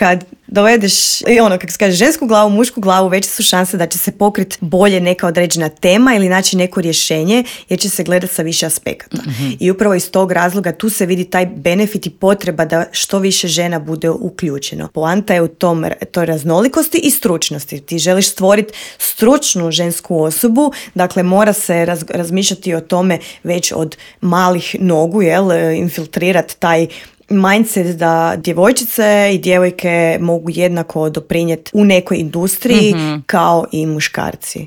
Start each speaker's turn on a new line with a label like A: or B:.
A: kad dovedeš, kako se kaže, žensku glavu, mušku glavu, veće su šanse da će se pokriti bolje neka određena tema ili naći neko rješenje, jer će se gledati sa više aspekata. Mm-hmm. I upravo iz tog razloga tu se vidi taj benefit i potreba da što više žena bude uključeno. Poanta je u toj raznolikosti i stručnosti. Ti želiš stvoriti stručnu žensku osobu, dakle mora se razmišljati o tome već od malih nogu, infiltrirati taj mindset da djevojčice i djevojke mogu jednako doprinijeti u nekoj industriji kao i muškarci.